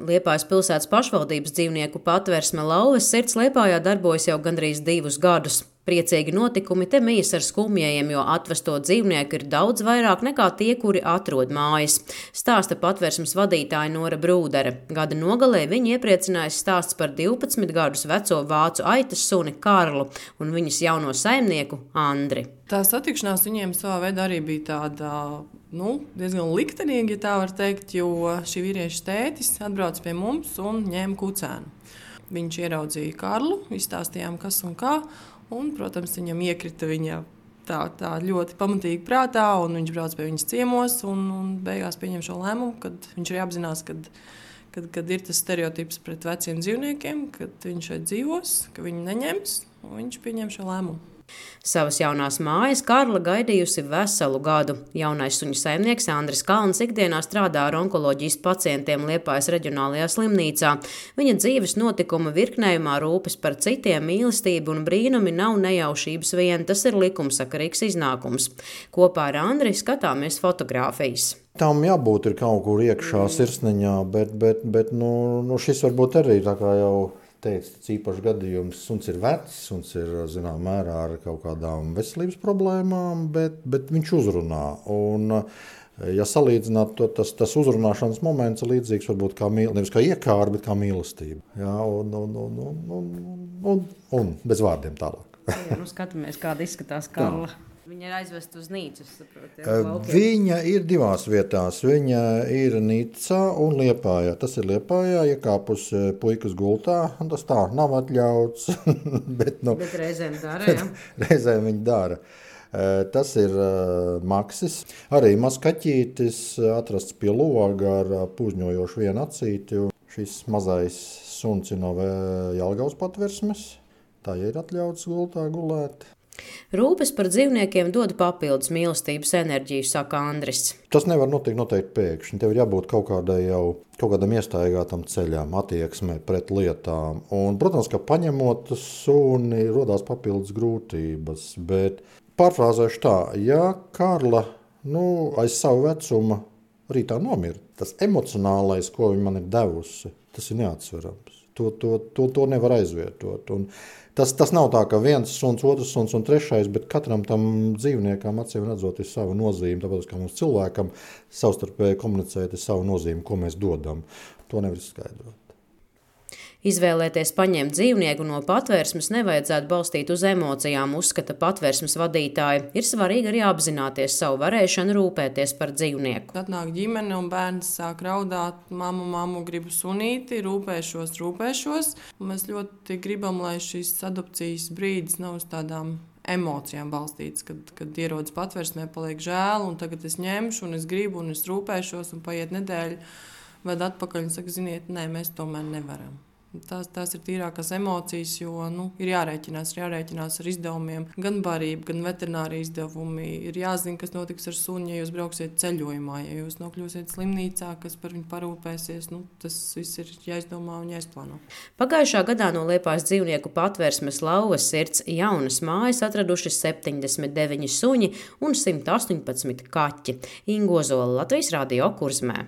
Liepājas pilsētas pašvaldības dzīvnieku patversme Lauvas sirds Liepājā darbojas jau gandrīz 2 gadus. Priecīgi notikumi te mijas ar skumjajiem, jo atvesto dzīvnieku ir daudz vairāk nekā tie, kuri atrod mājas. Stāsta patversmes vadītāja Nora Brūdere. Gada nogalē viņa iepriecinājis stāsts par 12 gadus veco vācu aitas suni Karlu un viņas jauno saimnieku Andri. Tā satikšanās viņiem savā veidā arī bija tāda diezgan liktenīga, ja tā var teikt, jo šī vīrieša tētis atbrauca pie mums un ņēma kucēnu. Viņš ieraudzīja Karlu, izstāstījām, kas un kā. Un, protams, viņam iekrita viņa tā ļoti pamatīgi prātā, un viņš brauc pie viņas ciemos, un beigās pieņem šo lēmumu, kad viņš arī apzinās, kad ir tas stereotips pret veciem dzīvniekiem, kad viņš šeit dzīvos, ka viņu neņems, un viņš pieņem šo lēmumu. Savas jaunās mājas Karla gaidījusi veselu gadu. Jaunais suņu saimnieks Andris Kalns ikdienā strādā ar onkoloģijas pacientiem Liepājas reģionālajā slimnīcā. Viņa dzīves notikuma virknējumā rūpes par citiem, mīlestība un brīnumi nav nejaušības vien, tas ir likumsakarīgs iznākums. Kopā ar Andri skatāmies fotogrāfijas. Tam jābūt ir kaut kur iekšā sirsniņā, bet šis varbūt arī tā kā jau teica, tas īpašs gadījums. Suns ir vecs, suns ir, zinām, mērā ar kaut kādām veselības problēmām, bet viņš uzrunā. Un, ja salīdzināt, tas uzrunāšanas moments ir līdzīgs varbūt kā nevis kā iekāra, bet kā mīlestība. Jā, un bez vārdiem tālāk. Jā, skatāmies, kāda izskatās Karla. Viņa ir aizvest uz Nīcu, saprotu. Viņa ir 2 vietās. Viņa ir Nīcā un Liepājā. Tas ir Liepājā, iekāpus puikas gultā. Tas tā nav atļauts. bet reizēm dara, jā. Reizēm viņa dara. Tas ir Maksis. Arī mazs kaķītis atrasts pie loga ar pūžņojošu vienu acīti. Šis mazais suns ir no Jelgavas patversmes. Tā ir atļauts gultā gulēt. Rūpes par dzīvniekiem dod papildus mīlestības enerģiju, saka Andris. Tas nevar notikt noteikti pēkšņi. Tev ir jābūt kaut kādam iestaigātam ceļām, attieksmē pret lietām. Un, protams, ka paņemot suni, rodās papildus grūtības. Bet pārfrāzēšu tā, ja Karla aiz savu vecumu rītā nomira, tas emocionālais, ko viņa man ir devusi, tas ir neatsverams. To nevar aizvietot. Un tas nav tā, ka viens suns, otrs suns un trešais, bet katram tam dzīvniekam acīm redzot ir sava nozīme, tāpēc, ka mums cilvēkam savstarpēji komunicēt ir sava nozīme, ko mēs dodam. To nevar izskaidrot. Izvēlēties paņemt dzīvnieku no patvērsmes nevajadzētu balstīt uz emocijām, uzskata patvērsmes vadītāja. Ir svarīgi arī apzināties savu varēšanu rūpēties par dzīvnieku. Atnāk ģimene un bērns sāk raudāt, mammu, gribu sunīti, rūpēšos. Un mēs ļoti gribam, lai šis adopcijas brīdis nav uz tādām emocijām balstīts, kad ierodas patvērsmē, paliek žēl, un tagad es ņemšu, un es gribu, un es rūpēšos, un paiet nedēļa, ved atpakaļ un saka, ziniet, nē, mēs tomēr nevaram. Tās ir tīrākās emocijas, jo ir jārēķinās ar izdevumiem, gan barība, gan veterinārija izdevumi. Ir jāzina, kas notiks ar suni, ja jūs brauksiet ceļojumā, ja jūs nokļūsiet slimnīcā, kas par viņu parūpēsies. Tas viss ir jāizdomā un jāizplāno. Pagājušā gadā no Liepājas dzīvnieku patversmes Lauvas sirds jaunas mājas atraduši 79 suņi un 118 kaķi. Inga Ozola, Latvijas Radio Kurzmē.